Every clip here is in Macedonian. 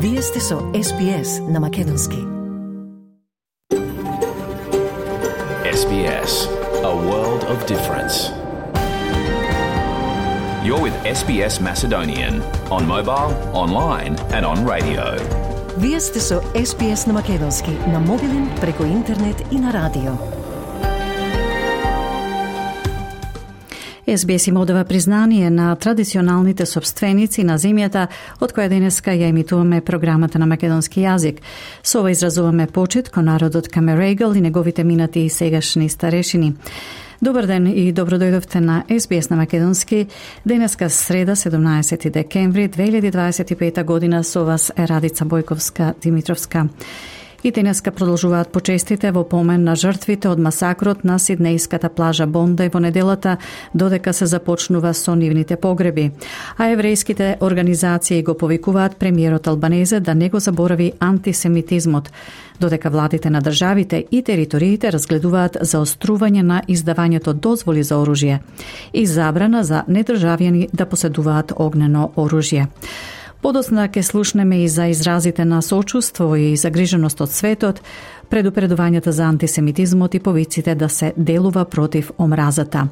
Вие сте со SBS на Македонски. SBS, a world of difference. You're with SBS Macedonian on mobile, online and on radio. Вие сте со SBS на Македонски на мобилен, преку интернет и на радио. SBS им одава признание на традиционалните собственици на земјата, од која денеска ја емитуваме програмата на македонски јазик. Со ова изразуваме почит кон народот Камерегал и неговите минати и сегашни старешини. Добар ден и добродојдовте на SBS на македонски. Денеска среда, 17 декември 2025 година, со вас е Радица Бојковска-Димитровска. И денеска продолжуваат почестите во помен на жртвите од масакрот на сиднејската плажа Бондај во неделата, додека се започнува со нивните погреби. А еврејските организации го повикуваат премиерот Албанезе да не го заборави антисемитизмот, додека владите на државите и териториите разгледуваат заострување на издавањето дозволи за оружје и забрана за недржавјани да поседуваат огнено оружје. Подоцна ќе слушнеме и за изразите на сочувство и загриженост од светот, предупредувањата за антисемитизмот и повиците да се делува против омразата.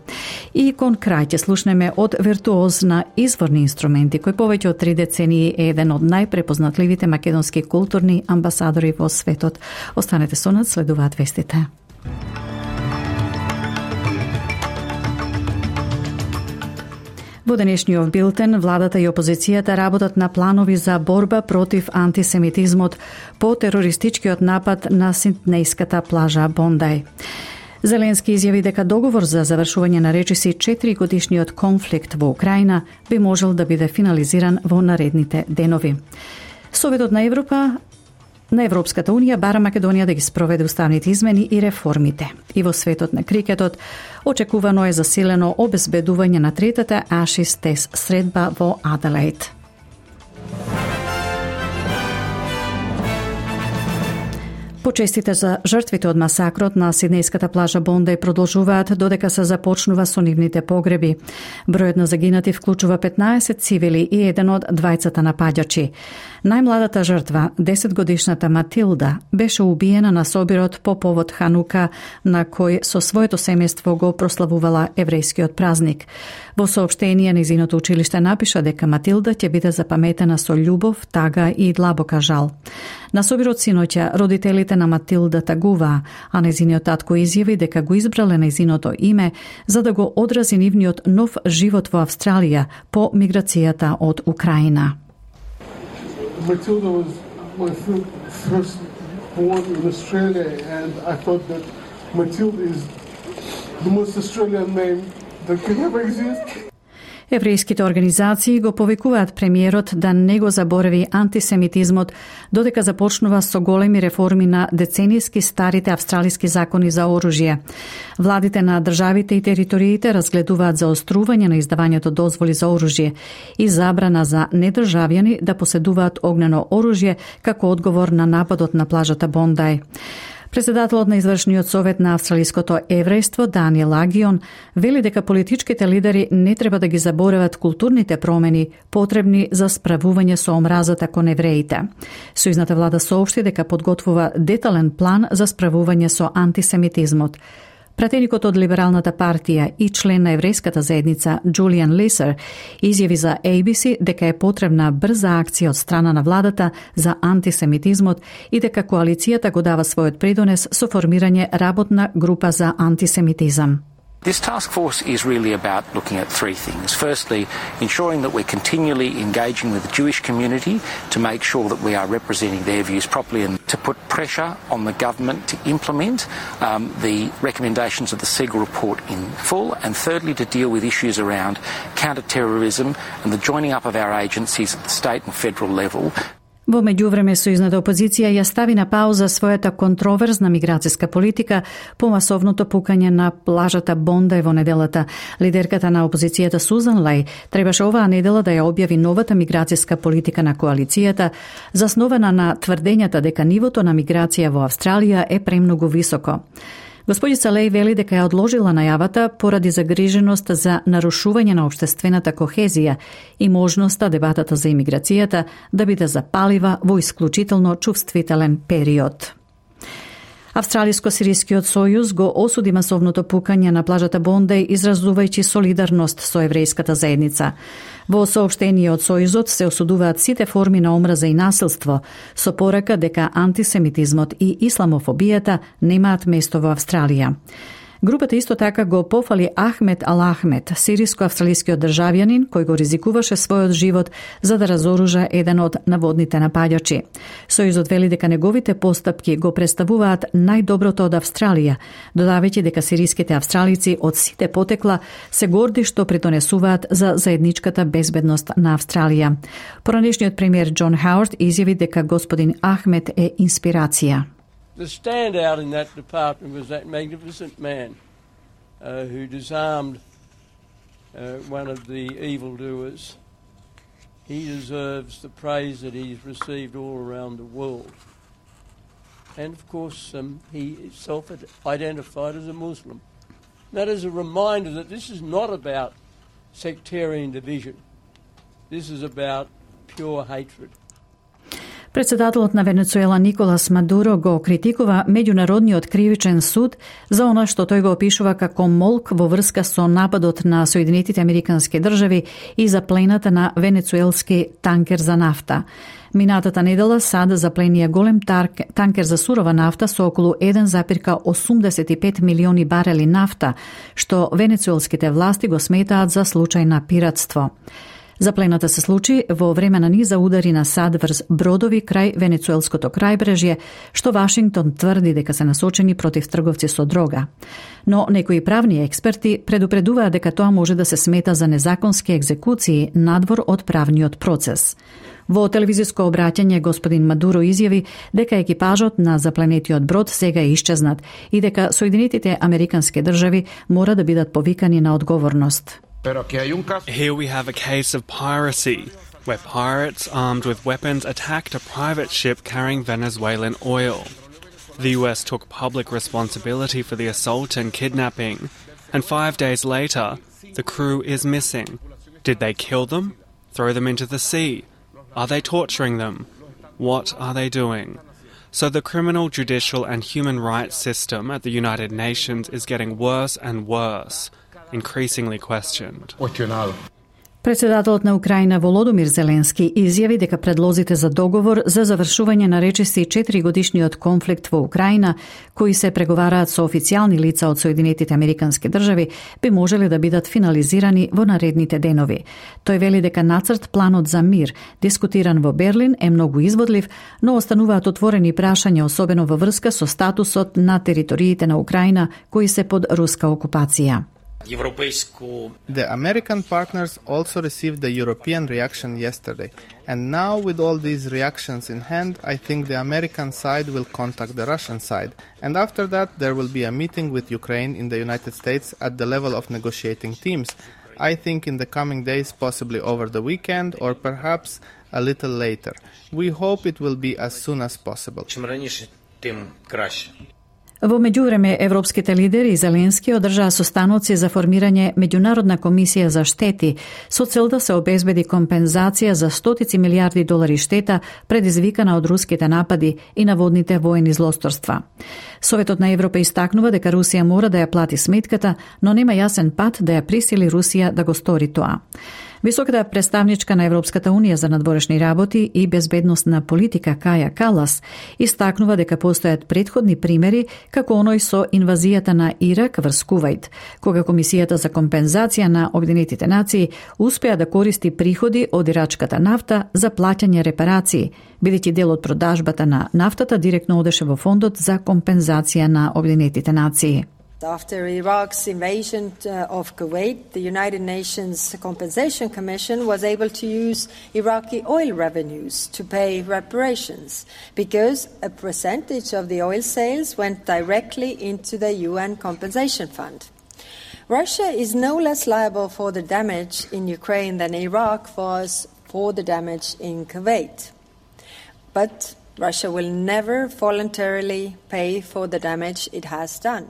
И кон крај ќе слушнеме од виртуоз на изворни инструменти, кој повеќе од 3 децении е еден од најпрепознатливите македонски културни амбасадори во светот. Останете со нас, следуваат вестите. Во денешниот билтен, владата и опозицијата работат на планови за борба против антисемитизмот по терористичкиот напад на сиднејската плажа Бондај. Зеленски изјави дека договор за завршување на речиси 4 годишниот конфликт во Украина би можел да биде финализиран во наредните денови. Советот на Европската унија бара Македонија да ги спроведе уставните измени и реформите. И во светот на крикетот очекувано е засилено обезбедување на третата Ashes Test средба во Аделаид. Почестите за жртвите од масакрот на сиднејската плажа Бондај продолжуваат додека се започнува со нивните погреби. Бројот на загинати вклучува 15 цивили и еден од двајцата напаѓачи. Најмладата жртва, 10-годишната Матилда, беше убиена на собирот по повод Ханука, на кој со своето семејство го прославувала еврејскиот празник. Во соопштение, нејзиното училиште напиша дека Матилда ќе биде запаметена со љубов, тага и длабока жал. На собирот синоќа родителите на Матилда тагуваа, а нејзиниот татко изјави дека го избрале нејзиното име за да го одрази нивниот нов живот во Австралија по миграцијата од Украина. Matilda was my first born in Australia, and I thought that Matilda is the most Australian name that can ever exist. Еврејските организации го повикуваат премиерот да не го заборави антисемитизмот, додека започнува со големи реформи на деценијски старите австралиски закони за оружје. Владите на државите и териториите разгледуваат заострување на издавањето дозволи за оружје и забрана за недржавјани да поседуваат огнено оружје како одговор на нападот на плажата Бондај. Председателот на извршниот совет на австралиското еврејство Даниел Агион вели дека политичките лидери не треба да ги заборават културните промени потребни за справување со омразата кон евреите. Сојузната влада соопшти дека подготвува детален план за справување со антисемитизмот. Пратеникот од Либералната партија и член на еврејската заедница Джулиан Лисер изјави за ABC дека е потребна брза акција од страна на владата за антисемитизмот и дека коалицијата го дава својот придонес со формирање работна група за антисемитизам. This task force is really about looking at 3 things. Firstly, ensuring that we're continually engaging with the Jewish community to make sure that we are representing their views properly and to put pressure on the government to implement the recommendations of the Siegel report in full. And thirdly, to deal with issues around counter-terrorism and the joining up of our agencies at the state and federal level. Во меѓувреме, сојузната опозиција ја стави на пауза својата контроверзна миграцијска политика по масовното пукање на плажата Бондај во неделата. Лидерката на опозицијата Сузан Леј требаше оваа недела да ја објави новата миграцијска политика на коалицијата, заснована на тврдењата дека нивото на миграција во Австралија е премногу високо. Господица Леј вели дека ја одложила најавата поради загриженост за нарушување на општествената кохезија и можноста дебатата за имиграцијата да биде запалива во исклучително чувствителен период. Австралиско-сирискиот сојуз го осуди масовното пукање на плажата Бондеј, изразувајќи солидарност со еврејската заедница. Во соопштение од сојузот се осудуваат сите форми на омраза и насилство, со порака дека антисемитизмот и исламофобијата немаат место во Австралија. Групата исто така го пофали Ахмед Ал-Ахмед, сириско-австралискиот државјанин кој го ризикуваше својот живот за да разоружа еден од наводните напаѓачи. Сојузот вели дека неговите постапки го представуваат најдоброто од Австралија, додавајќи дека сириските австралици од сите потекла се горди што придонесуваат за заедничката безбедност на Австралија. Поранешниот премиер Џон Хауард изјави дека господин Ахмед е инспирација. The standout in that department was that magnificent man who disarmed one of the evildoers. He deserves the praise that he's received all around the world. And of course, he self-identified as a Muslim. That is a reminder that this is not about sectarian division. This is about pure hatred. Председателот на Венецуела Николас Мадуро го критикува Меѓународниот кривичен суд за она што тој го опишува како молк во врска со нападот на Соединетите Американски држави и заплената на венецуелски танкер за нафта. Минатата недела САД запленија голем танкер за сурова нафта со околу 1,85 милиони барели нафта, што венецуелските власти го сметаат за случај на пиратство. Заплената се случи во време на низа удари на САД врз бродови крај венецуелското крајбрежје, што Вашингтон тврди дека се насочени против трговци со дрога. Но некои правни експерти предупредуваат дека тоа може да се смета за незаконски екзекуции надвор од правниот процес. Во телевизиско обраќање господин Мадуро изјави дека екипажот на запленетиот брод сега е исчезнат и дека Соединетите Американски држави мора да бидат повикани на одговорност. Here we have a case of piracy, where pirates armed with weapons attacked a private ship carrying Venezuelan oil. The US took public responsibility for the assault and kidnapping, and 5 days later, the crew is missing. Did they kill them? Throw them into the sea? Are they torturing them? What are they doing? So the criminal, judicial and human rights system at the United Nations is getting worse and worse. Increasingly questioned. Председателот на Украина Володомир Зеленски изјави дека предлозите за договор за завршување на речиси 4-годишниот конфликт во Украина, кои се преговараат со официјални лица од Соединетите Американски држави, би можеле да бидат финализирани во наредните денови. Тој вели дека нацрт планот за мир, дискутиран во Берлин, е многу изводлив, но остануваат отворени прашања, особено во врска со статусот на териториите на Украина кои се под руска окупација. The American partners also received the European reaction yesterday, and now with all these reactions in hand, I think the American side will contact the Russian side, and after that there will be a meeting with Ukraine in the United States at the level of negotiating teams. I think in the coming days, possibly over the weekend or perhaps a little later. We hope it will be as soon as possible. Во меѓувреме, европските лидери и Зеленски одржаа состаноци за формирање меѓународна комисија за штети со цел да се обезбеди компензација за стотици милиарди долари штета предизвикана од руските напади и наводните воени злосторства. Советот на Европа истакнува дека Русија мора да ја плати сметката, но нема јасен пат да ја присили Русија да го стори тоа. Високата представничка на Европската Унија за надворешни работи и безбедносна политика Каја Калас истакнува дека постојат претходни примери како оној со инвазијата на Ирак врз Кувајт, кога Комисијата за компензација на Обединетите нации успеа да користи приходи од ирачката нафта за плаќање репарации, бидејќи дел од продажбата на нафтата директно одеше во фондот за компензација на Обединетите нации. After Iraq's invasion of Kuwait, the United Nations Compensation Commission was able to use Iraqi oil revenues to pay reparations because a percentage of the oil sales went directly into the UN Compensation Fund. Russia is no less liable for the damage in Ukraine than Iraq was for the damage in Kuwait. But Russia will never voluntarily pay for the damage it has done.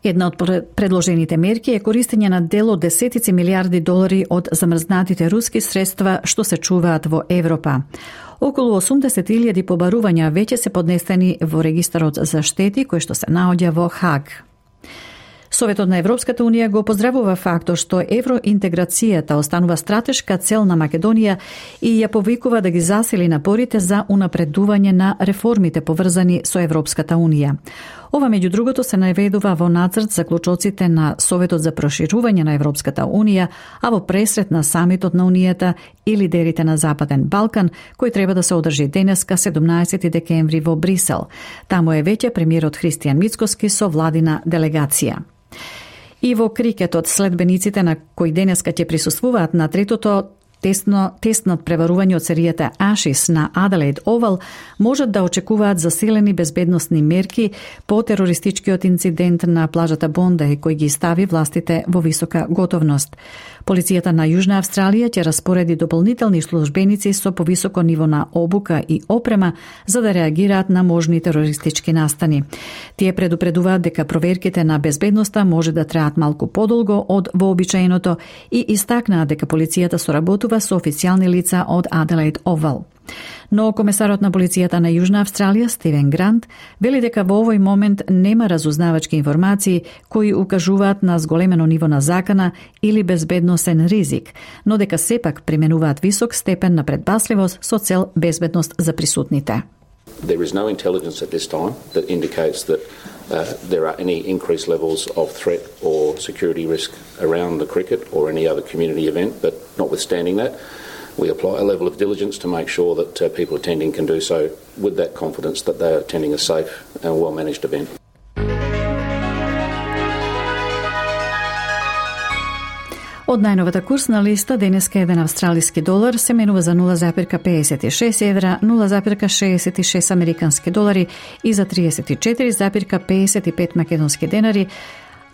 Една од предложените мерки е користење на дел од десетици милиарди долари од замрзнатите руски средства што се чуваат во Европа. Околу 80.000 побарувања веќе се поднесени во регистарот за штети кој што се наоѓа во Хаг. Советот на Европската Унија го поздравува фактот што евроинтеграцијата останува стратешка цел на Македонија и ја повикува да ги засили напорите за унапредување на реформите поврзани со Европската Унија. Ова меѓу другото се наведува во нацрт заклучоците на Советот за проширување на Европската Унија, а во пресрет на самитот на Унијата и лидерите на Западен Балкан, кој треба да се одржи денеска 17 декември во Брисел. Таму е веќе премиерот Христијан Мицкоски со владина делегација. И во крикетот следбениците на кои денеска ќе присуствуваат на третото тесно преварување од серијата Ashes на Adelaide Oval можат да очекуваат засилени безбедносни мерки по терористичкиот инцидент на плажата Бондај кој ги стави властите во висока готовност. Полицијата на Јужна Австралија ќе распореди дополнителни службеници со повисоко ниво на обука и опрема за да реагираат на можни терористички настани. Тие предупредуваат дека проверките на безбедноста може да траат малку подолго од вообичаеното и истакнаат дека полицијата соработува со официјални лица од Adelaide Oval. Но комесарот на полицијата на Јужна Австралија, Стивен Грант, вели дека во овој момент нема разузнавачки информации кои укажуваат на зголемено ниво на закана или безбедносен ризик, но дека сепак применуваат висок степен на предпасливост со цел безбедност за присутните. There is no intelligence at this time that indicates that there are any increased levels of threat or security risk around the cricket or any other community event, but notwithstanding that, we apply a level of diligence to make sure that people attending can do so with that confidence that they are attending a safe and well-managed event. Од најновата курсна листа, денеска еден австралиски долар се менува за 0,56 евра, 0,66 американски долари и за 34,55 македонски денари,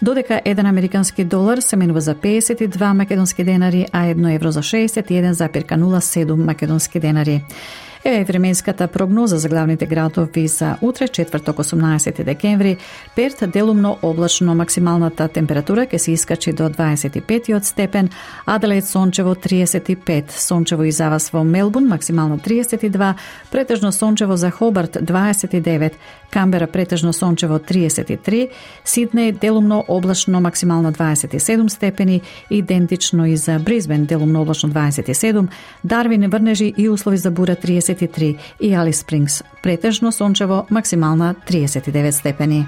додека еден американски долар се менува за 52 македонски денари, а 1 евро за 61,07 македонски денари. Еве временската прогноза за главните градови за утре, четврток 18 декември. Перт делумно облачно, максималната температура ќе се искачи до 25 степен, Аделаид сончево 35, сончево и завас во Мелбурн максимално 32, претежно сончево за Хобарт 29, Камбера претежно сончево 33, Сиднеј делумно облачно максимално 27 степени, идентично и за Бризбен делумно облачно 27, Дарвин врнежи и услови за бура 33 и Алис Спрингс претежно сончево максимална 39 степени.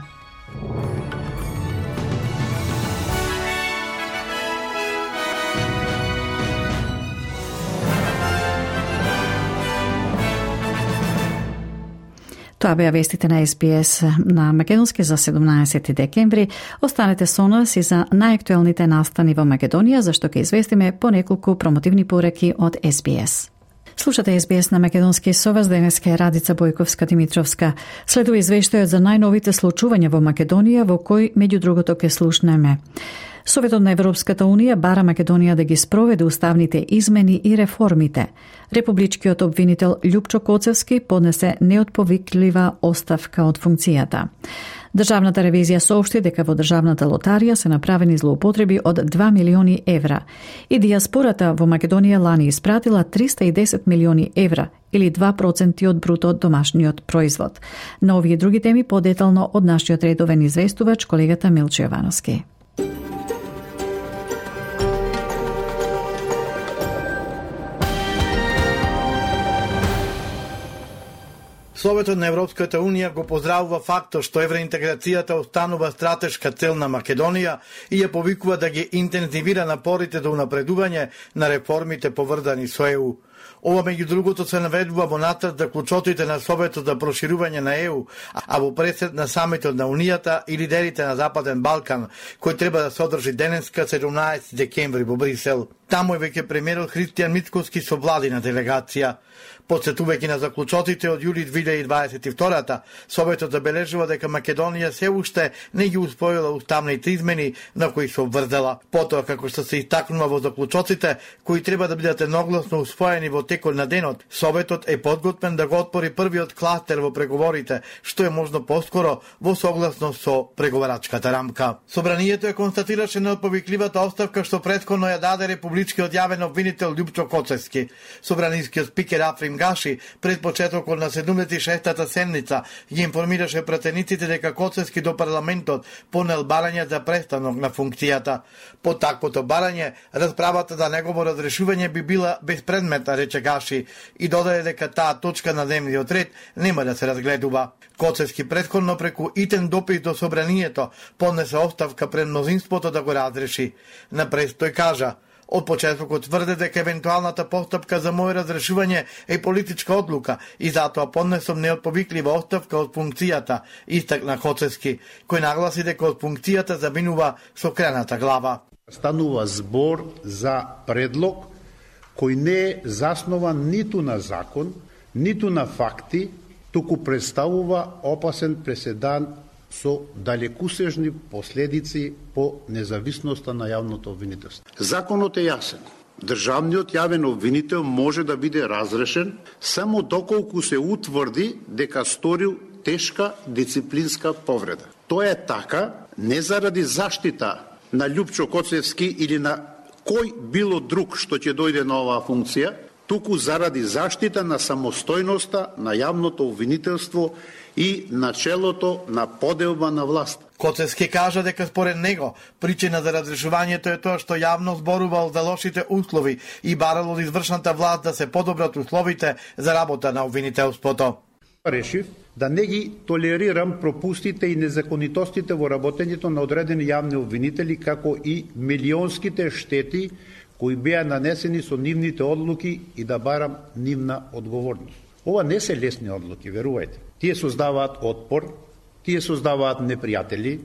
Тоа беа вестите на SBS на македонски за 17 декември. Останете со нас и за најактуелните настани во Македонија, зашто ќе известиме по неколку промотивни пореки од SBS. Слушате SBS на македонски со вас, денеска е Радица Бојковска-Димитровска. Следува извештајот за најновите случувања во Македонија, во кој меѓу другото ќе слушнеме. Советот на Европската Унија бара Македонија да ги спроведе уставните измени и реформите. Републичкиот обвинител Љупчо Коцевски поднесе неотповиклива оставка од функцијата. Државната ревизија соопшти дека во државната лотарија се направени злоупотреби од 2 милиони евра и дијаспората во Македонија лани испратила 310 милиони евра или 2% од бруто домашниот производ. На овие други теми подетално од нашиот редовен известувач колегата Милчо Јовановски. Советот на Европската Унија го поздравува фактот што евроинтеграцијата останува стратешка цел на Македонија и ја повикува да ги интензивира напорите до унапредување на реформите поврзани со ЕУ. Ова меѓу другото се наведува во нацрт за клучотите на Советот за проширување на ЕУ, а во пресед на самитот на Унијата и лидерите на Западен Балкан, кој треба да се одржи денеска 17 декември во Брисел. Таму е веќе премиерот Христијан Мицкоски со владина делегација. Подсетувајќи на заклучотите од јули 2022, Советот забележува дека Македонија се уште не ги усвоила уставните измени на кои се обврзала. Потоа, како што се истакнува во заклучоците, кои треба да бидат едногласно усвоени во текот на денот, Советот е подготвен да го отвори првиот кластер во преговорите, што е можно поскоро во согласност со преговарачката рамка. Собранието е констатираше неотповикливата оставка што претходно ја даде републичкиот јавен обвинител Љупчо Коцевски. Собранискиот спикер Африм Гаши пред почетокот на 76-та седница ги информираше пратениците дека Коцевски до парламентот понел барање за престанок на функцијата. По таквото барање, расправата за негово разрешување би била безпредметна, рече Гаши, и додаде дека таа точка на дневниот ред нема да се разгледува. Коцевски претходно преку итен допис до собранието поднесе оставка пред мнозинството да го разреши. Напред тој кажа: од почетокот тврде дека евентуалната постапка за моје разрешување е политичка одлука и затоа поднесом неотповиклива оставка од функцијата, истакна Коцевски, кој нагласи дека од функцијата заминува со крената глава. Станува збор за предлог кој не е заснован ниту на закон, ниту на факти, туку представува опасен преседан со далекусежни последици по независноста на јавното обвинителство. Законот е јасен. Државниот јавен обвинител може да биде разрешен само доколку се утврди дека сторил тешка дисциплинска повреда. Тоа е така не заради заштита на Љупчо Коцевски или на кој било друг што ќе дојде на оваа функција, туку заради заштита на самостојноста на јавното обвинителство и начелото на поделба на власт. Коцевски кажа дека според него причина за разрешувањето е тоа што јавно зборувал за лошите услови и барал од извршната власт да се подобрат условите за работа на обвинителството. Решив да не ги толерирам пропустите и незаконитостите во работењето на одредени јавни обвинители, како и милионските штети кои беа нанесени со нивните одлуки и да барам нивна одговорност. Ова не се лесни одлуки, верувајте. Тие создаваат отпор, тие создаваат непријатели.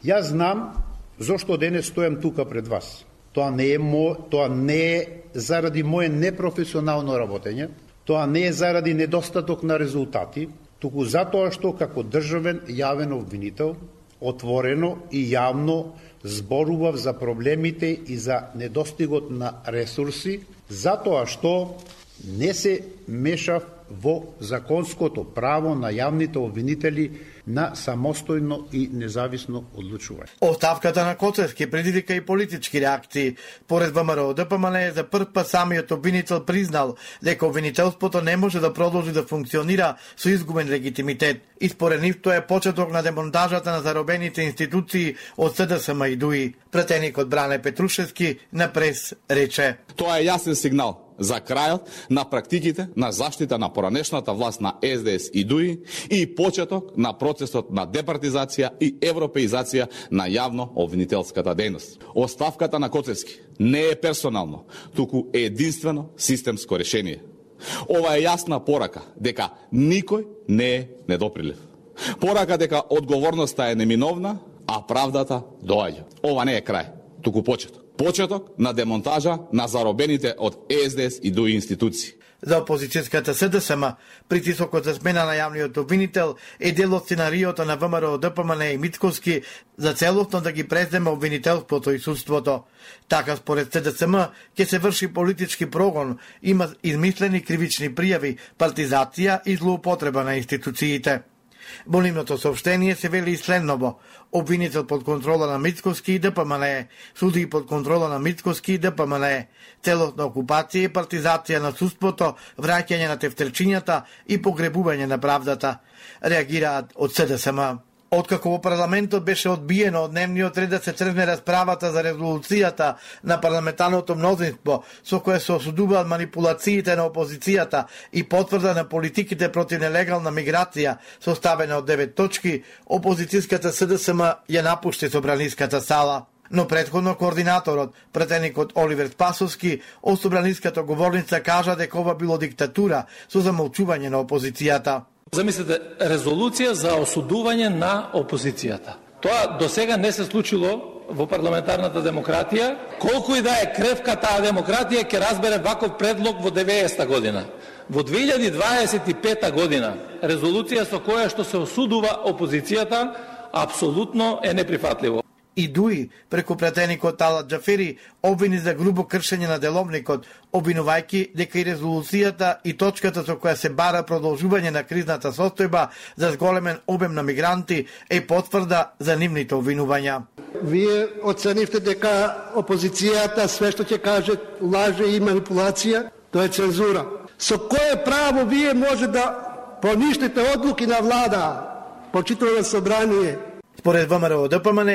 Јас знам зошто денес стојам тука пред вас. Тоа не е заради моје непрофесионално работење, тоа не е заради недостаток на резултати, туку затоа што како државен јавен обвинител отворено и јавно зборував за проблемите и за недостигот на ресурси, затоа што не се мешав во законското право на јавните обвинители на самостојно и независно одлучување. Оставката на Коцевски предизвика и политички реакции. Поред ВМРО ДПМН за прв пат самиот обвинител признал дека обвинителството не може да продолжи да функционира со изгубен легитимитет. И според нив тоа е почеток на демонтажата на заробените институции од СДСМ и ДУИ. Пратеникот Бране Петрушевски на прес рече: тоа е јасен сигнал за крајот на практиките на заштита на поранешната власт на СДС и ДУИ и почеток на процесот на департизација и европеизација на јавно обвинителската дејност. Оставката на Коцевски не е персонално, туку е единствено системско решение. Ова е јасна порака дека никој не е недоприлив. Порака дека одговорноста е неминовна, а правдата доаѓа. Ова не е крај, туку почеток. Почеток на демонтажа на заробените од СДС и ДУИ институции. За опозицијската СДСМ, притисокот за смена на јавниот обвинител е дел од сценариото на ВМРО ДПМН и Мицковски за целосно да ги преземе обвинителството и судството. Така според СДСМ ќе се врши политички прогон, има измислени кривични пријави, партизација и злоупотреба на институциите. Во нивното соопштение се вели и следново: обвинител под контрола на Мицковски и ДПМН, суди под контрола на Мицковски и ДПМН, целосна окупација и партизација на судството, враќање на тефтерчињата и погребување на правдата, реагираат од СДСМ. Откако во парламентот беше одбиено од дневниот ред да се тргне расправата за резолуцијата на парламентарното мнозинство со која се осудуваат манипулациите на опозицијата и потврда на политиките против нелегална миграција, составена од 9 точки, опозицијската СДСМ ја напушти собраниската сала. Но претходно координаторот, пратеникот Оливер Спасовски, од собраниската говорница кажа дека ова било диктатура со замолчување на опозицијата. Замислете, резолуција за осудување на опозицијата. Тоа до сега не се случило во парламентарната демократија. Колку и да е кревка таа демократија, ќе разбере ваков предлог во 90-та година. Во 2025 година резолуција со која што се осудува опозицијата апсолутно е неприфатливо. и Дуи преку пратеникот Талат Џафери обвини за грубо кршење на деловникот, обвинувајќи дека и резолуцијата и точката со која се бара продолжување на кризната состојба за зголемен обем на мигранти е потврда за нивните обвинувања. Вие оценивте дека опозицијата све што ќе каже лаже и манипулација, тоа е цензура. Со кое право вие може да поништите одлуки на влада, почитувано собрание? Според ВМРО ДПМН,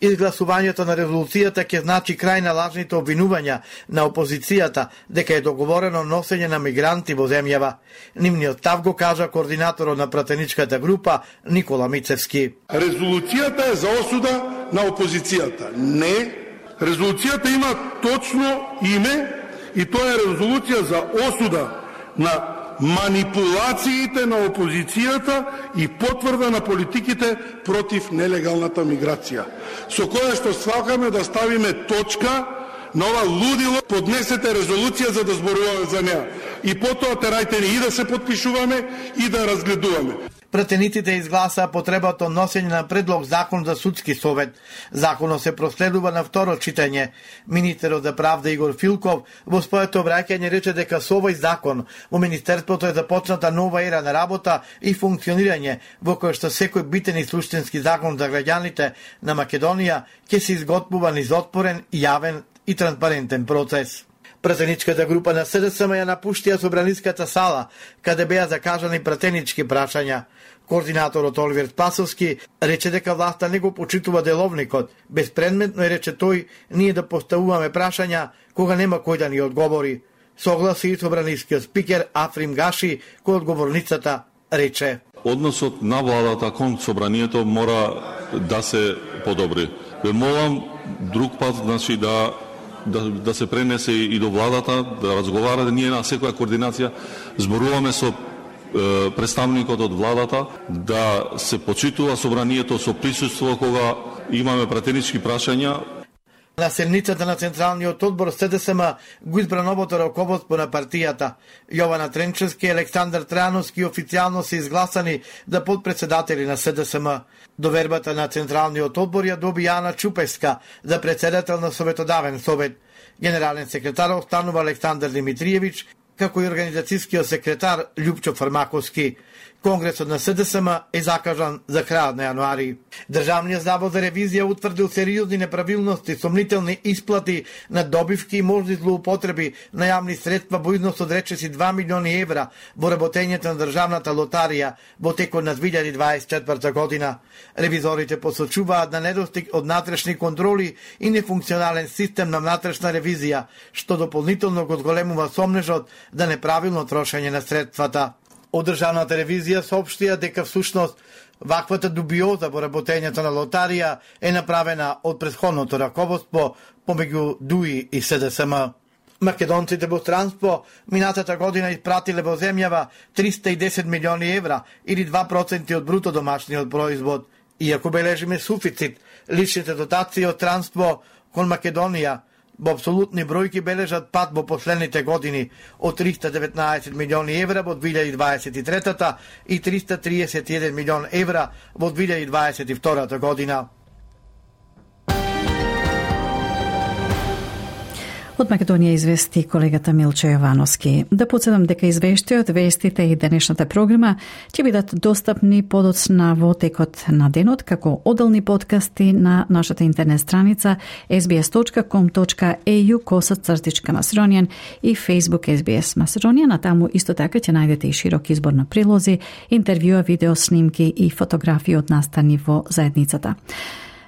изгласувањето на резолуцијата ќе значи крај на лажните обвинувања на опозицијата дека е договорено носење на мигранти во земјава. Нивниот став го кажа координаторот на пратеничката група Никола Мицевски. Резолуцијата е за осуда на опозицијата. Не, резолуцијата има точно име и тоа е резолуција за осуда на манипулациите на опозицијата и потврда на политиките против нелегалната миграција. Со кое што сакаме да ставиме точка на ова лудило, поднесете резолуција за да зборуваме за неа. И потоа терајте ни и да се подпишуваме и да разгледуваме. Пратениците изгласаа потребата од носење на предлог закон за судски совет. Законот се проследува на второ читање. Министерот за правда Игор Филков во своето обраќање рече дека со овој закон во Министерството е започната нова ера на работа и функционирање во кој што секој битен и суштински закон за граѓаните на Македонија ќе се изготвува низ отворен, јавен и транспарентен процес. Пратеничката група на СДСМ ја напуштија собраниската сала, каде беа закажани пратенички прашања. Координаторот Оливер Спасовски рече дека власта не го почитува деловникот. Безпредметно е, рече тој, ние да поставуваме прашања кога нема кој да ни одговори. Согласи и собранискиот спикер Африм Гаши, кој одговорницата рече. Односот на владата кон собранието мора да се подобри. Ве молам друг пат, значи, да се пренесе и до владата, да разговара, ние на секоја координација зборуваме со представникот од владата, да се почитува собранието со присуство кога имаме пратенички прашања. На седницата на Централниот одбор СДСМ го избра новото раководство на партијата. Јована Тренчевски и Александар Трајановски официјално се изгласани за подпредседатели на СДСМ. Довербата на Централниот одбор ја доби Јана Чупеска за председател на Советодавен совет. Генерален секретар останува Александар Димитриевич, како и организацијскиот секретар Љупчо Фармаковски. Конгресот на СДСМ е закажан за крајот на јануари. Државниот завод за ревизија утврдил сериозни неправилности, сомнителни исплати на добивки и можни злоупотреби на јавни средства во износ од речиси 2 милиони евра во работењето на државната лотарија во текот на 2024 година. Ревизорите посочуваат на недостиг од внатрешни контроли и нефункционален систем на внатрешна ревизија, што дополнително го зголемува сомнежот за неправилно трошење на средствата. Од државната ревизија соопштија дека всушност ваквата дубиоза во работењето на лотарија е направена од претходното раководство помеѓу ДУИ и СДСМ. Македонците во странство минатата година испратиле во земјава 310 милиони евра или 2% од бруто домашниот производ. Иако бележиме суфицит, личните дотации од странство кон Македонија во апсолутни бројки бележат пад во последните години од 319 милиони евра во 2023 и 331 милион евра во 2022 година. Од Македонија извести колегата Милчо Јовановски. Да подсетам дека извештајот, вестите и денешната програма ќе бидат достапни подоцна во текот на денот како одделни подкасти на нашата интернет страница sbs.com.au/Macedonian и Facebook SBS Macedonian, а таму исто така ќе најдете и широк избор на прилози, интервјуа, видео снимки и фотографии од настани во заедницата.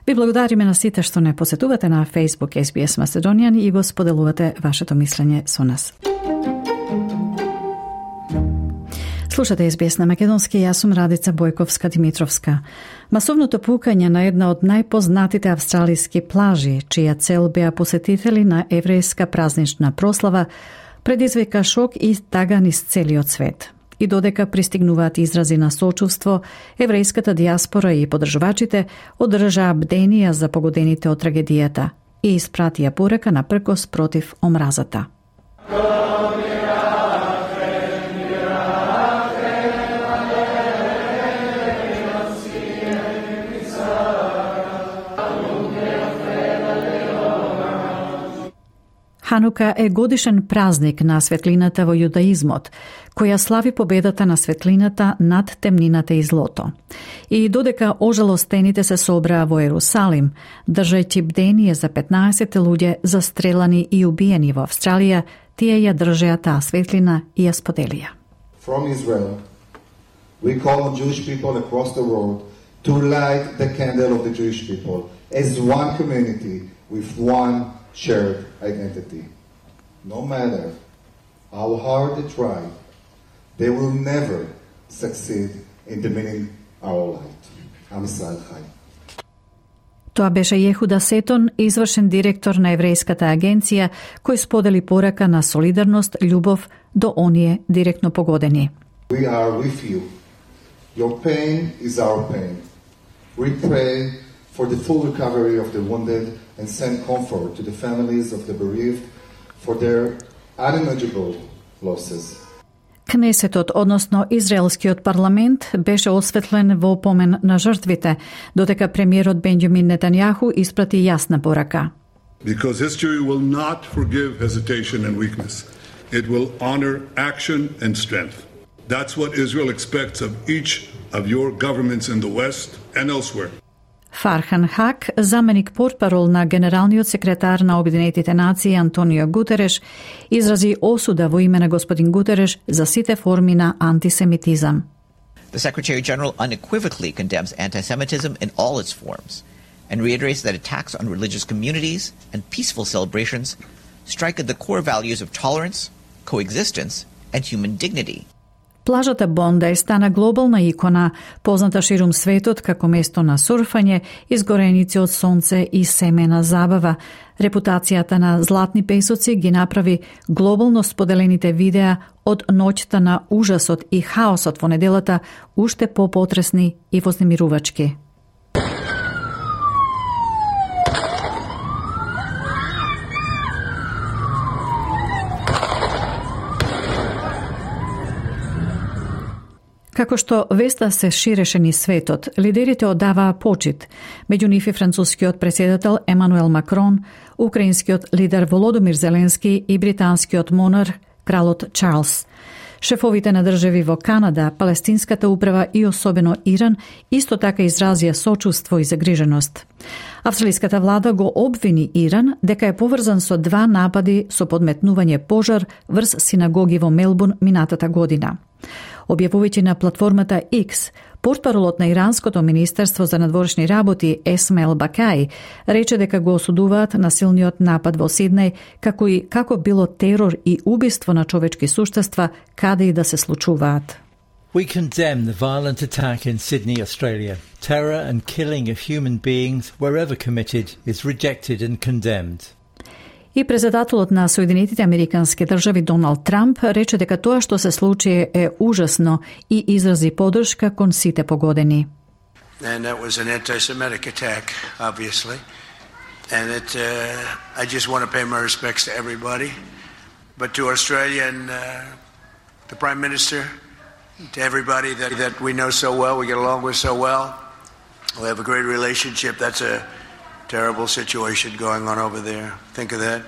Ви благодариме на сите што не посетувате на Facebook SBS Macedonian и го споделувате вашето мислење со нас. Слушате SBS на македонски, јас сум Радица Бојковска-Димитровска. Масовното пукање на една од најпознатите австралиски плажи, чија цел беа посетители на еврејска празнична прослава, предизвика шок и тага низ целиот свет. И додека пристигнуваат изрази на сочувство, еврејската дијаспора и подржувачите одржаа бденија за погодените од трагедијата и испратија порека на пркос против омразата. Ханука е годишен празник на светлината во јудаизмот, која слави победата на светлината над темнината и злото. И додека ожалостените се собраа во Ерусалим, држајќи бдение за 15 луѓе застрелани и убиени во Австралија, тие ја држеа таа светлина и ја споделија. From Israel, we call on Jewish people across the world to light the candle of the Jewish people as one community with one shared identity. No matter how hard they try, they will never succeed in dimming our light. Am Israel Chai. Тоа беше Јехуда Сетон, извршен директор на еврејската агенција, кој сподели порака на солидарност, љубов до оние директно погодени. We are with you. Your pain is our pain. We pray for the full recovery of the wounded and send comfort to the families of the bereaved for their unimaginable losses. Кнесетот, односно Израелскиот парламент, беше осветлен во помен на жртвите, додека премиерот Бенџамин Нетањаху испрати јасна порака. Because history will not forgive hesitation and weakness. It will honor action and strength. That's what Israel expects of each of your governments in the West and elsewhere. Фархан Хак, заменик портпарол на генералниот секретар на Обединетите нации Антонио Гутереш, изрази осуда во име на господин Гутереш за сите форми на антисемитизам. The Secretary General unequivocally condemns anti-Semitism in all its forms and reiterates that attacks on religious communities and peaceful celebrations strike at the core values of tolerance, coexistence, and human dignity. Плажата Бондај стана глобална икона, позната ширум светот како место на сурфање, изгореници од сонце и семена забава. Репутацијата на златни песоци ги направи глобално споделените видеа од ноќта на ужасот и хаосот во неделата уште попотресни и вознемирувачки. Како што веста се ширеше низ светот, лидерите оддаваа почит, меѓу нив и францускиот претседател Емануел Макрон, украинскиот лидер Володомир Зеленски и британскиот монарх кралот Чарлс. Шефовите на држави во Канада, Палестинската управа и особено Иран исто така изразија сочувство и загриженост. Австралиската влада го обвини Иран дека е поврзан со 2 напади со подметнување пожар врз синагоги во Мелбурн минатата година. Објавувајќи на платформата X, портпаролот на Иранското министерство за надворешни работи Есмаил Бакај рече дека го осудуваат насилниот напад во Сиднеј како било терор и убиство на човечки суштества каде и да се случуваат. We condemn the violent attack in Sydney, Australia. Terror and killing of human beings, wherever committed, is rejected and condemned. И председателот на Соединетите Американски држави Доналд Трамп рече дека тоа што се случи е ужасно и изрази поддршка кон сите погодени. And that was an anti-Semitic attack, obviously. And I just want to pay my respects to everybody, but to Australia and the Prime Minister, to everybody that we know so well, we get along with so well. We have a great relationship. That's a terrible situation going on over there. Think of that.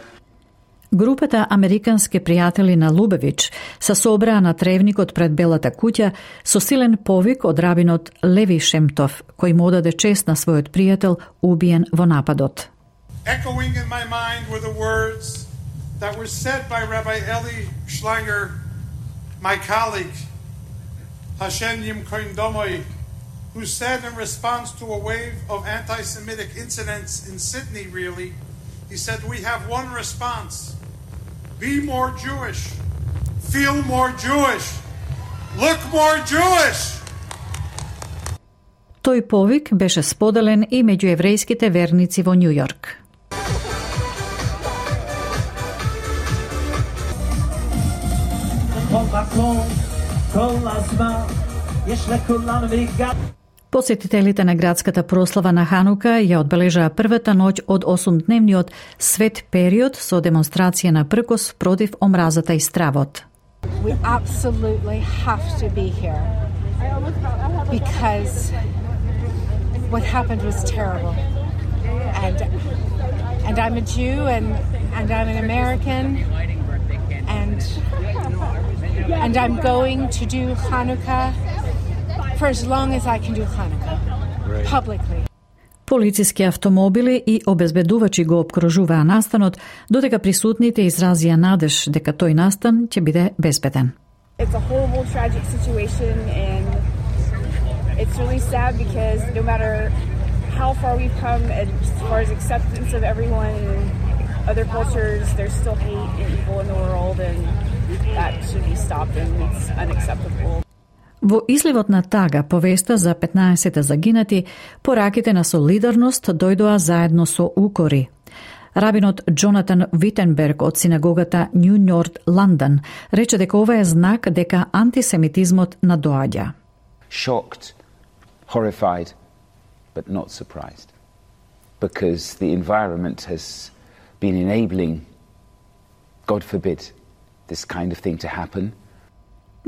Групата американски пријатели на Лубевич се собраа на тревникот пред Белата куќа со силен повик од рабинот Леви Шемтов, кој му одаде чест на својот пријател убиен во нападот. Echoing in my mind were the words that were said by Rabbi Eli Schlanger, my colleague, Hashem Yimkoin Domoy, who said in response to a wave of anti-Semitic incidents in Sydney, really, he said, we have one response. Be more Jewish. Feel more Jewish. Look more Jewish. Тој повик беше споделен и меѓу еврејските верници во Њу Јорк. Посетителите на градската прослава на Ханука ја одбележаа првата ноќ од 8-дневниот свет период со демонстрација на пркос против омразата и стравот. We absolutely have to be here because what happened was terrible. And And I'm a Jew and I'm an American and I'm going to do Hanukkah for as long as I can do Hanukkah publicly. Полициски автомобили и обезбедувачи го обкружуваа настанот, додека присутните изразија надеж дека тој настан ќе биде безбеден. It's a horrible, tragic situation, and it's really sad because no matter how far we've come as far as acceptance of everyone and other cultures, there's still hate and evil in the world, and that should be stopped, and it's unacceptable. Во изливот на тага повеста за 15 загинати, пораките на солидарност дојдоа заедно со укори. Рабинот Джонатан Витенберг од синагогата Нью Норт Лондон рече дека ова е знак дека антисемитизмот надоаѓа. Shocked, horrified, but not surprised. Because the environment has been enabling, God forbid, this kind of thing to happen.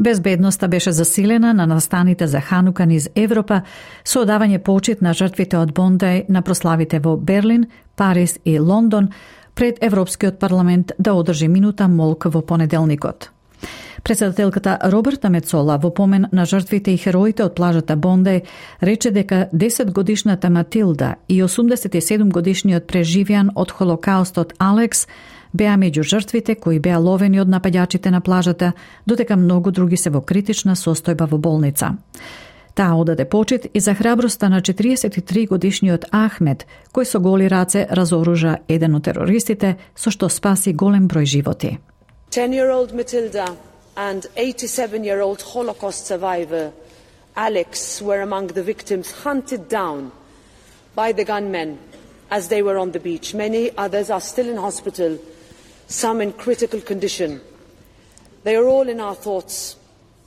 Безбедноста беше засилена на настаните за Ханука низ Европа со одавање почит на жртвите од Бондај на прославите во Берлин, Париз и Лондон пред Европскиот парламент да одржи минута молк во понеделникот. Председателката Роберта Мецола во помен на жртвите и хероите од плажата Бондај рече дека 10-годишната Матилда и 87-годишниот преживеан од Холокаустот Алекс беа меѓу жртвите кои беа ловени од напаѓачите на плажата, додека многу други се во критична состојба во болница. Таа одаде почит и за храброста на 43-годишниот Ахмед, кој со голи раце разоружа еден од терористите, со што спаси голем број животи. 10-year-old Matilda and 87-year-old Holocaust survivor Alex were among the victims hunted down by the gunmen as they were on the beach. Many others are still in hospital, some in critical condition. They are all in our thoughts,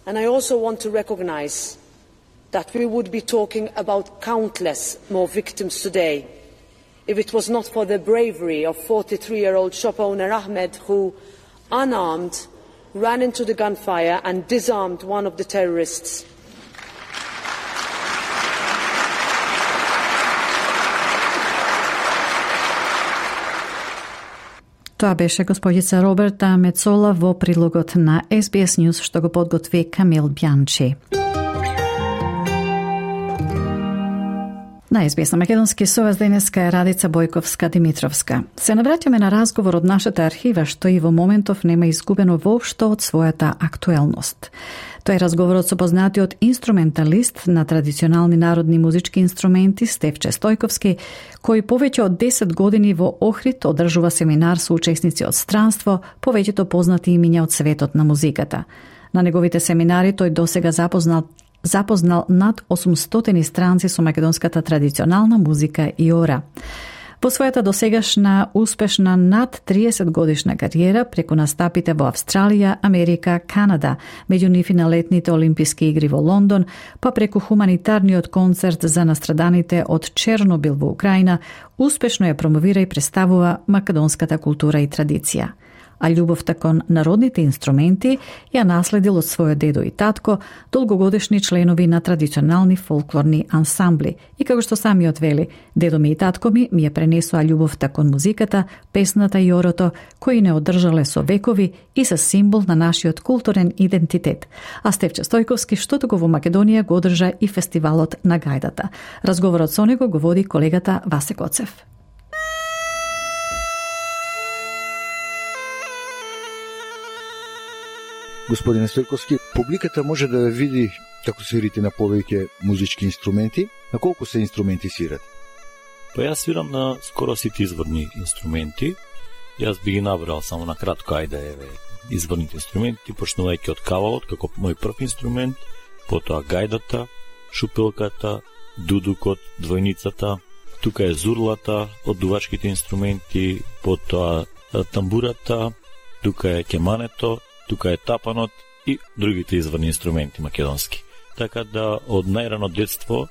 and I also want to recognize that we would be talking about countless more victims today if it was not for the bravery of 43-year-old shop owner Ahmed, who, unarmed, ran into the gunfire and disarmed one of the terrorists. Тоа беше господица Роберта Мецола во прилогот на SBS News што го подготви Камил Бјанчи. На SBS на Македонски со вас денеска е Радица Бојковска-Димитровска. Се навраќаме на разговор од нашата архива што и во моментов нема изгубено воопшто од својата актуелност. Тој е разговорот со познатиот инструменталист на традиционални народни музички инструменти Стефче Стојковски, кој повеќе од 10 години во Охрид одржува семинар со учесници од странство, повеќето познати имиња од светот на музиката. На неговите семинари тој досега запознал над 800 странци со македонската традиционална музика и ора. Во својата досегашна успешна над 30 годишна кариера преку настапите во Австралија, Америка, Канада, меѓу нив и на летните Олимписки игри во Лондон, па преку хуманитарниот концерт за настраданите од Чернобил во Украина, успешно ја промовира и представува македонската култура и традиција. А љубовта кон народните инструменти ја наследил од својот дедо и татко, долгогодишни членови на традиционални фолклорни ансамбли. И како што самиот вели, дедо ми и татко ми ја пренесоа љубовта кон музиката, песната и орото, кои не одржале со векови и се символ на нашиот културен идентитет. А Стефче Стојковски, што туку во Македонија го одржа и фестивалот на гајдата. Разговорот со него го води колегата Васе Коцев. Господине Стојковски, публиката може да види како свирите на повеќе музички инструменти. На колку се инструменти свират? Па јас свирам на скоро сите изворни инструменти. Јас би ги набрал само на кратко, ајде изворните инструменти, почнувајќи од кавалот како мој прв инструмент, потоа гајдата, шупелката, дудукот, двојницата, тука е зурлата од дувачките инструменти, потоа тамбурата, тука е кемането, тука е тапанот и другите изворни инструменти македонски. Така да од најрано детство,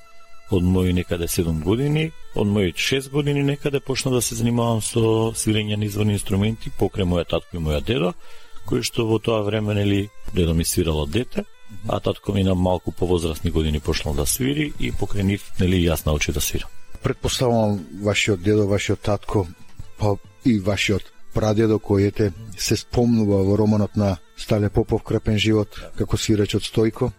од мои некаде 7 години, од мои 6 години некаде почна да се занимавам со свирење на изворни инструменти покрај мојот татко и мојот дедо, кој што во тоа време дедо ми свирало дете, а татко ми на малку повозрастни години почнал да свири и покрај нив јас научив да свирам. Предпоставувам вашиот дедо, вашиот татко па и вашиот прадедо кој се спомнува во романот на Стале Попов Крапен живот како свирач од Стојко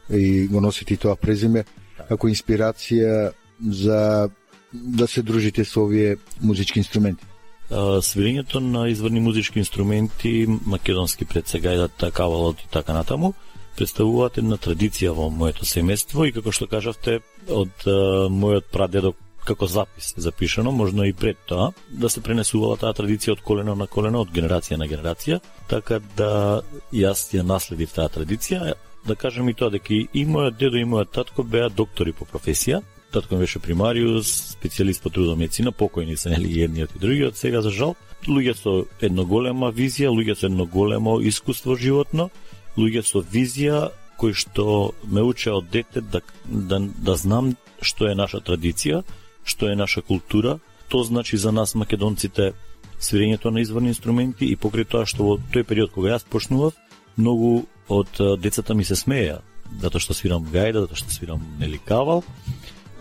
и го носите тоа презиме како инспирација за да се дружите со овие музички инструменти. Свирењето на изворни музички инструменти, македонски пред сега и кавалот и така натаму, представуваат една традиција во моето семејство и како што кажавте од мојот прадедо како запис запишано, можно и пред тоа, да се пренесувала таа традиција од колено на колено, од генерација на генерација, така да јас ја наследив таа традиција. Да кажем и тоа дека и мојот дедо и мојот татко беа доктори по професија. Татко ми беше примариус, специјалист по трудова медицина, покојни се нели едниот и другиот, сега за жал. Луѓе со едно голема визија, луѓе со едно големо искуство животно, луѓе со визија кои што ме учеа од дете да знам што е наша традиција, што е наша култура. Тоа значи за нас македонците свирењето на изворни инструменти и покрај тоа што во тој период кога јас почнував, многу од децата ми се смеја, затоа што свирам гајда, затоа што свирам нели кавал,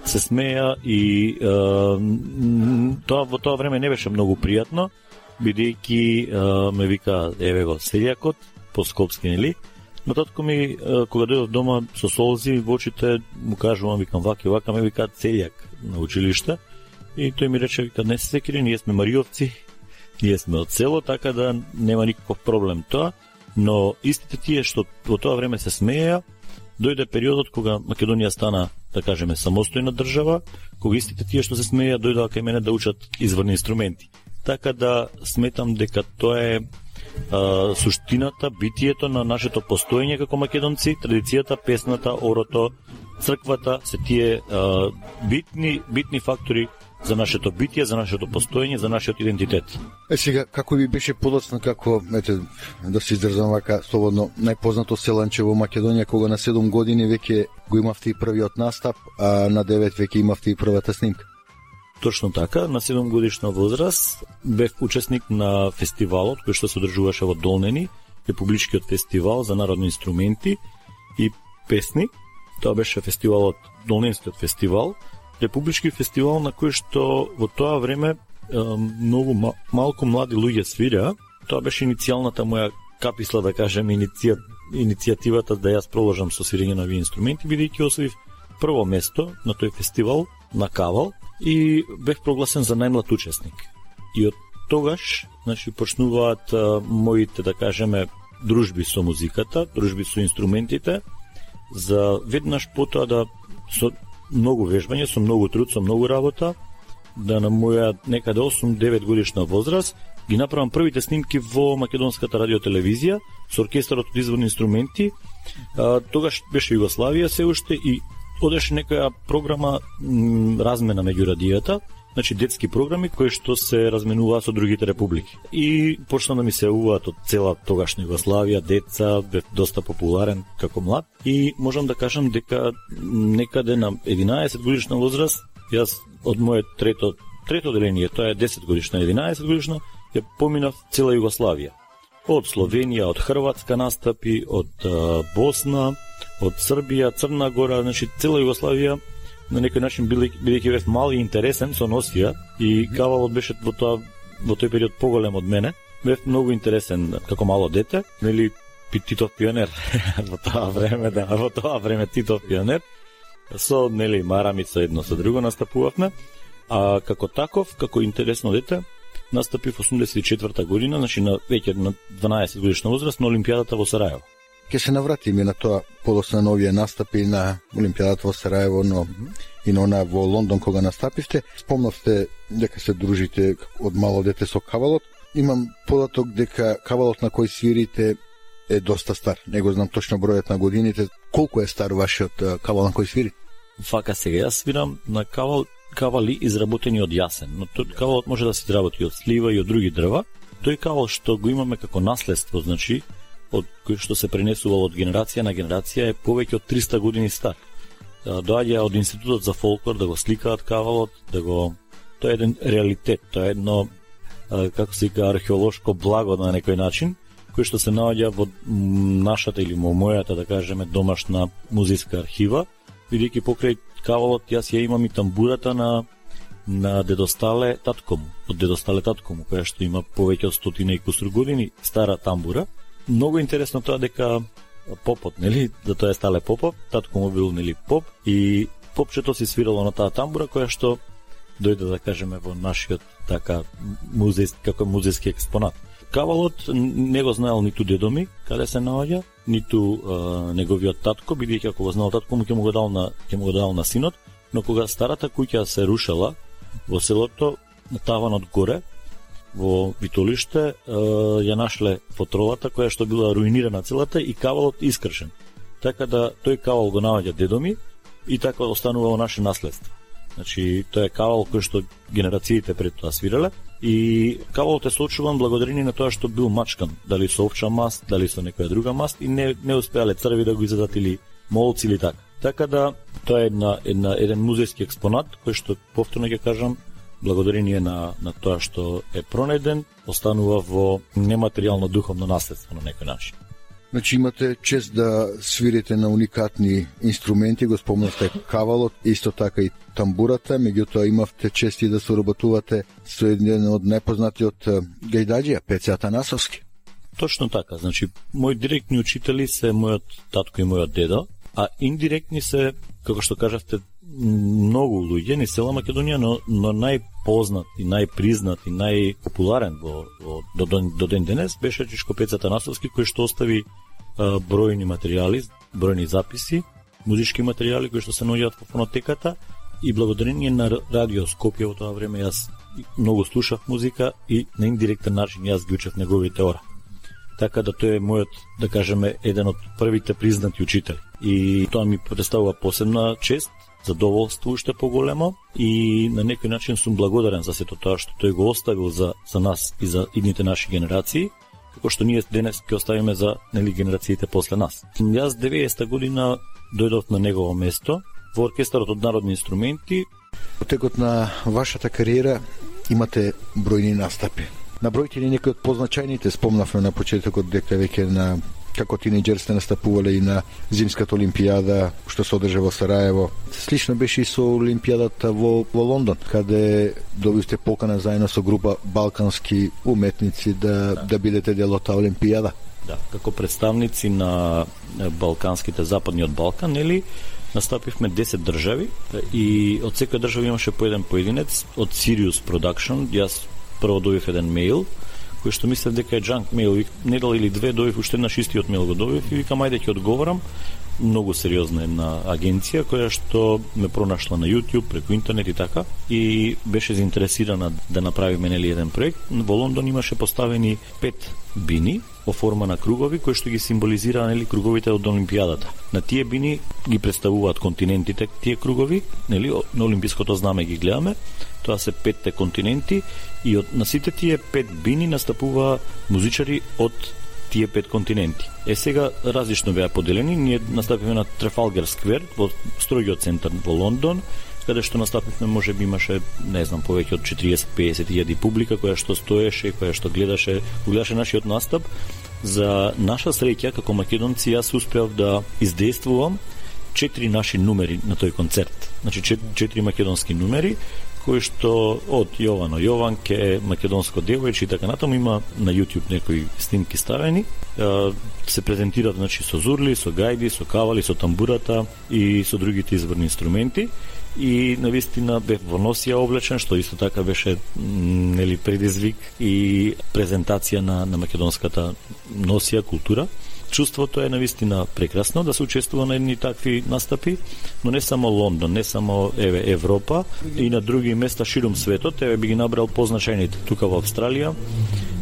се смеја и тоа во тоа време не беше многу пријатно, бидејќи ме вика еве го селјакот по скопски нели. Но татко ми кога дојдов дома со солзи во очите му кажувам, викам вака ме викаат селјак на училиште и тој ми рече вика не се секири, ние сме мариовци, ние сме од село, така да нема никаков проблем тоа, но истите тие што во тоа време се смееја, дојде периодот кога Македонија стана, да кажеме, самостојна држава, кога истите тие што се смееја дојдоа кај мене да учат изворни инструменти. Така да сметам дека тоа е суштината, битието на нашето постоење како македонци, традицијата, песната, орото, црквата, се тие битни фактори за нашето битие, за нашето постоење, за нашиот идентитет. Сега, како ви беше подоцна, како, да се издржам вака слободно, најпознато селанче во Македонија, кога на 7 години веќе го имавте и првиот настап, а на 9 веќе имавте и првата снимка? Точно така, на 7 годишна возраст бев учесник на фестивалот кој што се одржуваше во Долнени, републичкиот фестивал за народни инструменти и песни. Тоа беше фестивалот, Долненскиот фестивал, републички фестивал на кој што во тоа време многу малку млади луѓе свиреа. Тоа беше иницијалната моја каписла, да кажем, иницијативата да јас проложам со свирење на овие инструменти, бидејќи освоив прво место на тој фестивал на кавал и бев прогласен за најмлад учесник. И од тогаш, значи, почнуваат моите, да кажеме, дружби со музиката, дружби со инструментите, за веднаш потоа да со многу вежбање, со многу труд, со многу работа, да на моја некаде 8-9 годишна возраст ги направам првите снимки во македонската радиотелевизија со оркестарот од изворни инструменти. Тогаш беше Југославија се уште и одеше некоја програма размена меѓу радијата, значи детски програми кои што се разменуваа со другите републики. И почна да ми се јавуваат од цела тогашна Југославија деца, бев доста популарен како млад и можам да кажам дека некаде на 11 годишна возраст јас од моје трето деление, тоа е 10 годишна, 11 годишна, ја поминав цела Југославија. Од Словенија, од Хрватска настапи, од Босна, од Србија, Црна Гора, значи цела Југославија, на некој начин бидејќи бев мал и интересен со носија и кавалот беше во тој период поголем од мене, бев многу интересен како мало дете, нели Титов пионер во тоа време, да, во тоа време Титов пионер, со нели марамица едно со друго настапувавме, а како таков, како интересно дете, настапив 84-та година, значи веќе на 12 годишна возраст на Олимпијадата во Сарајево. Ке се навратиме на тоа подоцна на овие настапи на Олимпијадата во Сарајево, но и на она во Лондон кога настапивте. Спомнавте дека се дружите од мало дете со кавалот. Имам податок дека кавалот на кој свирите е доста стар. Не го знам точно бројот на годините. Колку е стар вашиот кавал на кој свирите? Фака сега, јас свирам на кавали изработени од јасен, но тој кавалот може да се изработи од слива и од други дрва. Тој кавал што го имаме како наследство, значи, од кој што се пренесувал од генерација на генерација, е повеќе од 300 години стар. Доаѓа од Институтот за фолклор да го сликаат кавалот, тоа е еден реалитет, тоа е едно, како се вика, археолошко благо на некој начин, кој што се наоѓа во нашата или во мојата, да кажеме, домашна музејска архива, бидејќи покрај кавалот јас ја имам и тамбурата на на дедостале татко му, од дедостале татко му, која што има повеќе од 100 и кусур години, стара тамбура. Многу интересно тоа дека попот, нели, да тоа е Стале Попов, татко му бил, нели, поп, и попчето си свирало на таа тамбура, која што дојде, да кажеме, во нашиот така како музејски експонат. Кавалот не го знаел ниту дедо ми, каде се наоѓа, ниту неговиот татко, бидејќи ако го знал татко му, ќе му го дал на синот, но кога старата куќа се рушела во селото, на таванот горе, во Витолиште, ја нашле фотролата која што била руинирана целата и кавалот искршен. Така да тој кавал го наоѓа дедо ми и така останува во наше наследство. Значи, тој е кавал кој што генерациите пред тоа свирале и кавалот е сочуван благодарение на тоа што бил мачкан, дали со овча маст, дали со некоја друга маст и не успеале црви да го изедат или молци или така. Така да тоа е еден музејски експонат кој што повторно ќе кажам, благодарение на тоа што е пронеден, останува во нематеријално духовно наследство на некој начин. Значи имате чест да свирите на уникатни инструменти, го спомнавте кавалот, исто така и тамбурата, меѓутоа имавте чест и да соработувате со еден од најпознатиот гајдаџија, Пеце Атанасовски. Точно така, значи мои директни учители се мојот татко и мојот дедо, а индиректни се, како што кажавте, многу луѓе ни села Македонија, но најпознат и најпризнат и најпопуларен до ден денес беше Чичко Пеце Атанасовски, кој што остави бројни материјали, бројни записи, музички материјали кои што се наоѓаат во фонотеката и благодарение на Радио Скопје во тоа време јас многу слушав музика и на индиректен начин јас ги учев неговите ора. Така да тој е мојот, да кажеме, еден од првите признати учители. И тоа ми представува посебна чест, задоволство уште поголемо и на некој начин сум благодарен за сето тоа што тој го оставил за нас и за идните наши генерации, како што ние денес ќе оставиме за генерациите после нас. Јас 90-та година дојдов на негово место во оркестарот од народни инструменти. Во текот на вашата кариера имате бројни настапи. Набројте ли некои од позначајните, спомнавме на почетокот дека веќе на како тинејџер сте настапувале и на Зимската олимпијада што се одржа во Сараево. Слично беше и со олимпијадата во Лондон, каде добивте покана заедно со група балкански уметници да бидете дел од таа олимпијада. Да, како представници на балканските западниот Балкан, нели, настапивме 10 држави и од секоја држава имаше по еден поединец од Sirius Production. Јас прво добив еден мејл кој што мислев дека е джанк мејл, недел или две добив уште на шистиот мејл го добив и викам ајде ќе одговорам. Многу сериозна една агенција која што ме пронашла на YouTube преку интернет и така и беше заинтересирана да направиме нели еден проект. Во Лондон имаше поставени 5 бини во форма на кругови кои што ги символизираа нели круговите од олимпијадата. На тие бини ги представуваат континентите, тие кругови, нели на олимпиското знаме ги гледаме. Тоа се 5 континенти и на сите тие 5 бини настапува музичари од тие 5 континенти. Сега различно беа поделени, ние настапивме на Трафалгар Сквер во строгиот центар во Лондон, каде што настапивме можеби имаше, не знам, повеќе од 40-50 илјади публика која што стоеше, која што гледаше нашиот настап. За наша среќа како македонци јас успеав да издействувам 4 наши numeri на тој концерт. Значи 4 македонски numeri кои што од Јовано Јованке, македонско девојче и така натаму има на YouTube некои снимки ставени. Се презентираат значи со зурли, со гајди, со кавали, со тамбурата и со другите изворни инструменти. И навистина бев во носија облечен, што исто така беше нели предизвик и презентација на македонската носија култура. Чувството е навистина прекрасно да се учествува на едни такви настапи, но не само Лондон, не само Европа и на други места широм светот. Би ги набрал позначајните. Тука во Австралија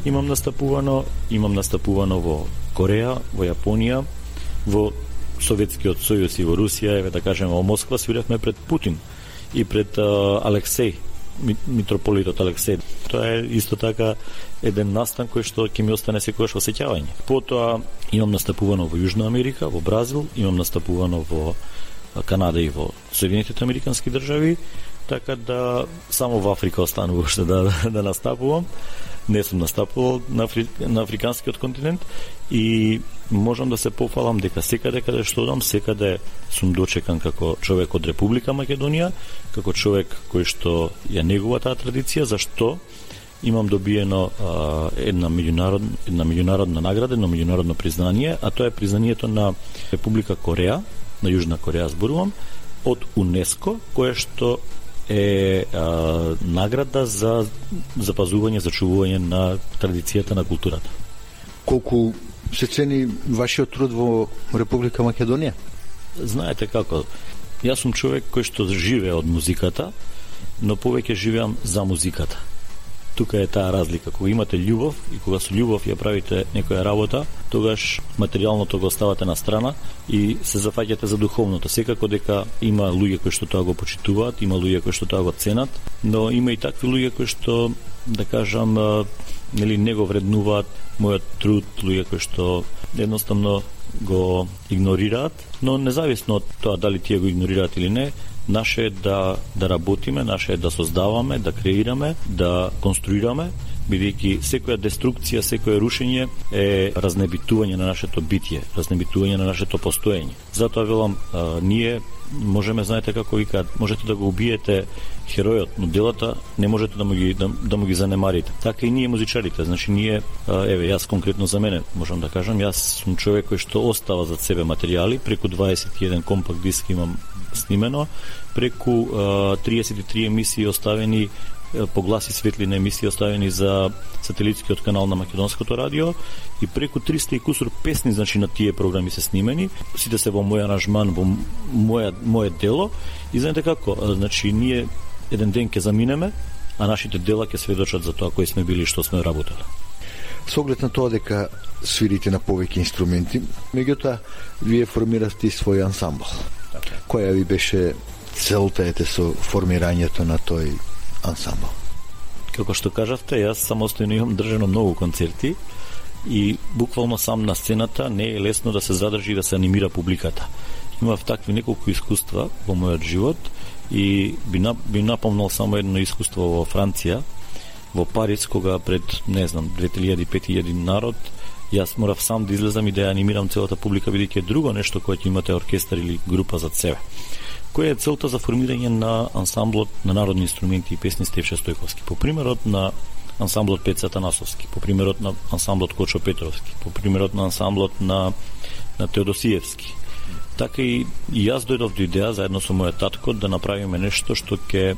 имам настапувано во Кореја, во Јапонија, во Советскиот сојуз и во Русија, да кажеме во Москва свиревме пред Путин и пред Алексеј, митрополитот Алексеј. Тоа е исто така еден настан кој што ќе ми остане секогаш во сеќавање. Потоа имам настапувано во Јужна Америка, во Бразил, имам настапувано во Канада и во Соединетите Американски држави, така да само во Африка останува уште да настапувам. Не сум настапувал на африканскиот континент и можам да се пофалам дека секаде каде што одам, секаде сум дочекан како човек од Република Македонија, како човек кој што ја негува таа традиција, зашто имам добиено една меѓународна награда, едно меѓународно признание, а тоа е признанието на Република Кореја, на Јужна Кореја зборувам, од УНЕСКО, кое што е награда за запазување, зачувување на традицијата на културата. Колку се цени вашиот труд во Република Македонија? Знаете како, јас сум човек кој што живее од музиката, но повеќе живеам за музиката. Тука е таа разлика. Кога имате љубов и кога со љубов ја правите некоја работа, тогаш материјалното го оставате на страна и се зафаќате за духовното. Секако дека има луѓе кои што тоа го почитуваат, има луѓе кои што тоа го ценат, но има и такви луѓе кои што, да кажам, не го вреднуваат мојот труд, луѓе кои што едноставно го игнорираат, но независно од тоа дали тие го игнорираат или не, наше е да работиме, наше е да создаваме, да креираме, да конструираме, бидејќи секоја деструкција, секое рушење е разнебитување на нашето битие, разнебитување на нашето постоење. Затоа велам, ние можеме, знаете како викаат, можете да го убиете херојот, но делата не можете да му ги занемарите. Така и ние музичарите, значи ние, јас конкретно за мене, можам да кажам, јас сум човек кој што остава зад себе материјали, преку 21 компакт диск имам снимено, преку 33 емисии оставени, погласи светлина емисии оставени за сателитскиот канал на Македонското радио и преку 300 и кусур песни, значи на тие програми се снимени, сите се во мој аранжман, во моје дело и знаете како, значи ние еден ден ќе заминеме, а нашите дела ќе сведочат за тоа кои сме били и што сме работели. Со оглед на тоа дека свирите на повеќе инструменти, меѓутоа вие формирате свој ансамбл. Која ви беше целта со формирањето на тој ансамбл? Како што кажавте, јас самостојно имам држано многу концерти и буквално сам на сцената не е лесно да се задржи и да се анимира публиката. Имав такви неколку искуства во мојот живот и би напомнал само едно искуство во Франција, во Париз, кога пред, 2000-5000 народ, јас морав сам да излезам и да ја анимирам целата публика, бидејќи е друго нешто кое ќе имате оркестар или група зад себе. Која е целта за формирање на ансамблот на народни инструменти и песни Стефче Стојковски? По примерот на ансамблот Пеца Танасовски, по примерот на ансамблот Кочо Петровски, по примерот на ансамблот на Теодосиевски. Така и јас дојдов до идеја заедно со мојот татко да направиме нешто што ќе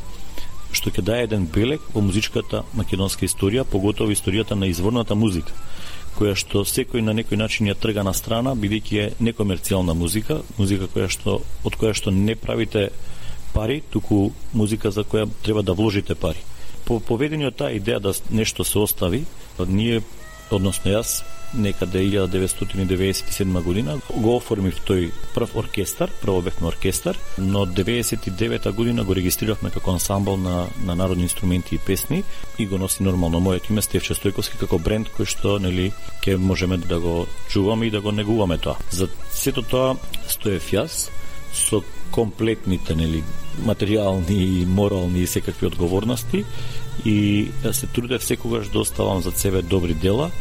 даде еден белег во музичката македонска историја, поготово историјата на изворната музика, која што секој на некој начин ја трга на страна, бидејќи е некомерцијална музика, од која што не правите пари, туку музика за која треба да вложите пари. По поведениот таа идеја да нешто се остави, ние, односно јас, некаде 1997 година го оформив тој прв оркестар, прво бевме оркестар, но 99 година го регистрирахме како ансамбл на народни инструменти и песни и го носи нормално моето име Стефче Стојковски како бренд кој што ќе можеме да го чуваме и да го негуваме тоа. За сето тоа стоев јас со комплетните материјални, морални и секакви одговорности и се трудев секогаш да оставам зад себе добри дела,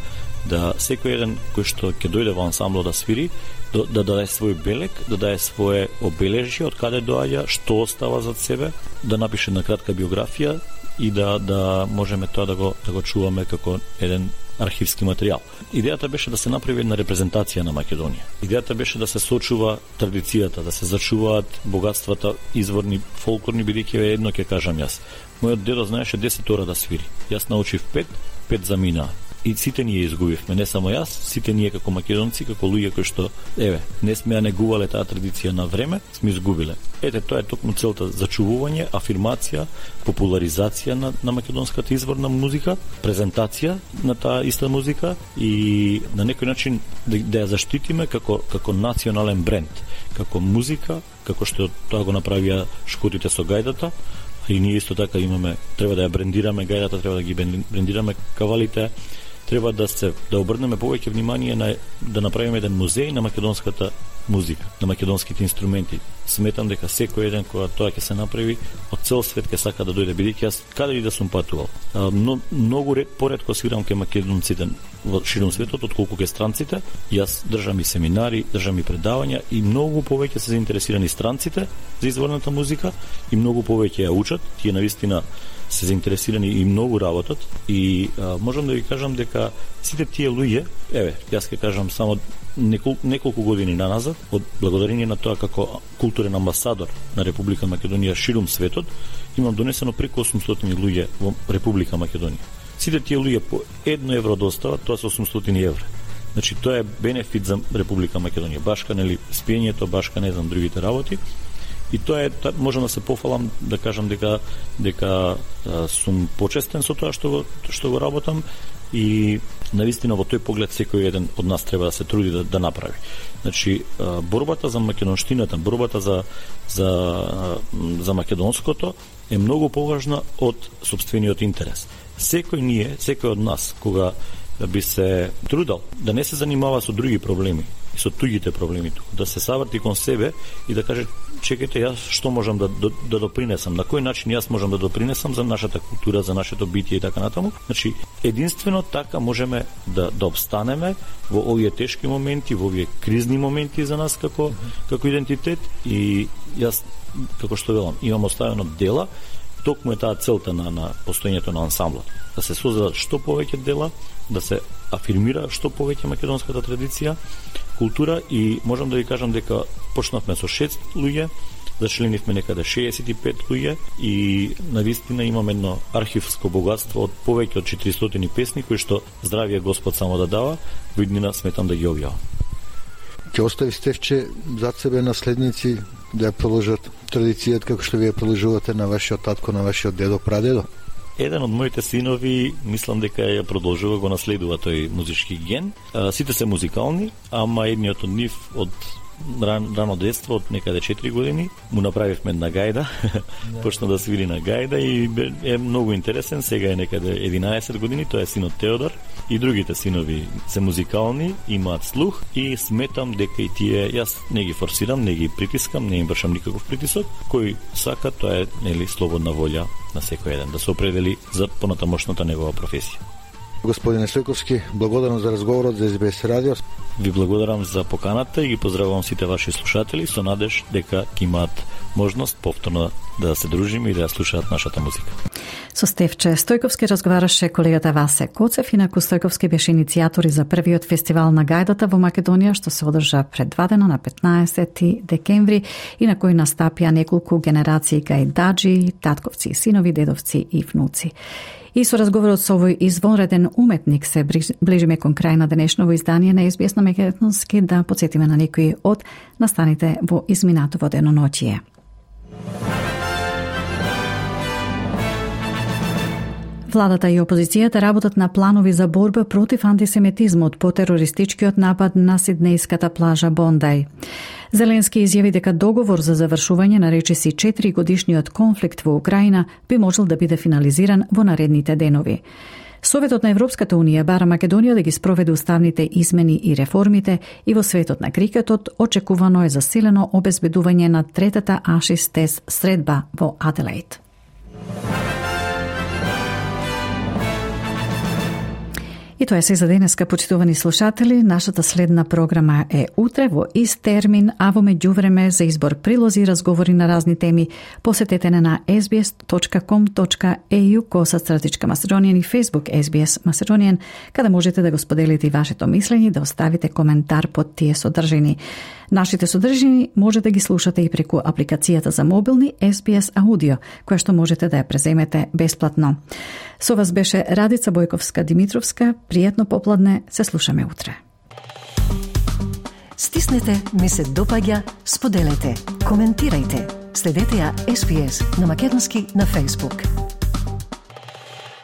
да секој еден кој што ќе дојде во ансамбло да свири, да даде свој белег, да даде свое обележје, од каде доаѓа, што остава зад себе, да напише на кратка биографија и да можеме тоа да го чуваме како еден архивски материјал. Идејата беше да се направи една репрезентација на Македонија. Идејата беше да се сочува традицијата, да се зачуваат богатствата изворни, фолклорни, бидејќи едно ќе кажам јас. Мојот дедо знаеше 10 ора да свири. Јас научив 5 заминаа. И сите ние изгубивме, не само јас, сите ние како македонци, како луѓе кои што, не сме ја негувале таа традиција на време, сме изгубиле. Тоа е токму целта, зачувување, афирмација, популаризација на македонската изворна музика, презентација на таа иста музика и на некој начин да ја заштитиме како национален бренд, како музика, како што тоа го направија Шкотите со гајдата, и ние исто така треба да ја брендираме гајдата, треба да ги брендираме кавалите, треба да обрнеме повеќе внимание да направиме еден музеј на македонската музика, на македонските инструменти. сметам дека секој еден кога тоа ќе се направи од цел свет ќе сака да дојде, бидејќи јас каде и да сум патувал. Многу поретко свирам ке македонците во широм светот отколку ке странците. Јас држам и семинари, држам и предавања и многу повеќе се заинтересирани странците за изворната музика и многу повеќе ја учат. Тие навистина се заинтересирани и многу работат и можам да ви кажам дека сите тие луѓе, јас ќе кажам само неколку години наназад, од благодарение на тоа како културен амбасадор на Република Македонија ширум светот, имам донесено преку 800 луѓе во Република Македонија. Сите тие луѓе по 1 евро достават, тоа се 800 евра. Значи тоа е бенефит за Република Македонија. Башка нели спиењето, башка не знам другите работи. И тоа е, можам да се пофалам да кажам дека сум почестен со тоа што го работам и навистина во тој поглед секој еден од нас треба да се труди да направи. Значи борбата за македонштината, борбата за македонското е многу поважна од сопствениот интерес. Секој од нас кога би се трудал да не се занимава со други проблеми и со туѓите проблеми, да се savрти кон себе и да каже чекајте, јас што можам да допринесам, на кој начин јас можам да допринесам за нашата култура, за нашето битие и така натаму. Значи, единствено така можеме да обстанеме во овие тешки моменти, во овие кризни моменти за нас како идентитет и јас, како што велам, имам оставено дела, токму е таа целта на постоењето на ансамблот. Да се создадат што повеќе дела, да се афирмира што повеќе македонската традиција, култура и можам да ви кажам дека почнавме со 6 луѓе, зачленивме некаде 65 луѓе и навистина имаме едно архивско богатство од повеќе од 400 песни кои што здравиот Господ само да дава, во иднина сметам да ги објавам. Ќе остави Стефче зад себе наследници да ја продолжат традицијата како што вие продолжувате на вашиот татко, на вашиот дедо, прадедо? Еден од моите синови, мислам дека ја продолжува, го наследува тој музички ген. Сите се музикални, ама едниот од нив од рано детство, од некаде 4 години, му направивме една гајда, почна да свири на гајда и е многу интересен, сега е некаде 11 години, тоа е синот Теодор, и другите синови се музикални, имаат слух и сметам дека и тие, јас не ги форсирам, не ги притискам, не им вршам никаков притисок, кој сака, тоа е нели слободна волја на секој еден, да се определи за понатамошната негова професија. Господине Стојковски, благодарам за разговорот за СБС радио. Ви благодарам за поканата и ги поздравувам сите ваши слушатели со надеж дека ќе имаат можност повторно да се дружиме и да ја слушаат нашата музика. Со Стефче Стојковски разговараше колегата Васе Коцев, инаку Стојковски беше иницијатор и за првиот фестивал на гајдата во Македонија, што се одржа пред 2 дена на 15 декември и на кој настапија неколку генерации гајдаджи, татковци, синови, дедовци и внуци. И со разговорот со овој извонреден уметник се ближиме кон крај на денешново издание на СБС на македонски, да подсетиме на некои од настаните во изминатово деноноќие. Владата и опозицијата работат на планови за борба против антисемитизмот по терористичкиот напад на сиднејската плажа Бондај. Зеленски изјави дека договор за завршување на речиси 4 годишниот конфликт во Украина би можел да биде финализиран во наредните денови. Советот на Европската Унија бара Македонија да ги спроведе уставните измени и реформите и во светот на крикетот очекувано е засилено обезбедување на третата Ашис тест средба во Аделаид. И тоа е се за денеска, почитувани слушатели. Нашата следна програма е утре во ист термин, а во меѓувреме за избор прилози и разговори на разни теми посетете на sbs.com.au/Macedonian и Facebook SBS Macedonian, каде можете да го споделите и вашето мислење, да оставите коментар под тие содржини. Нашите содржини може да ги слушате и преку апликацијата за мобилни SBS Audio, која што можете да ја преземете бесплатно. Со вас беше Радица Бојковска-Димитровска. Пријатно попладне, се слушаме утре. Стиснете, ми се допаѓа, споделете, коментирајте. Следете ја SBS на македонски на Facebook.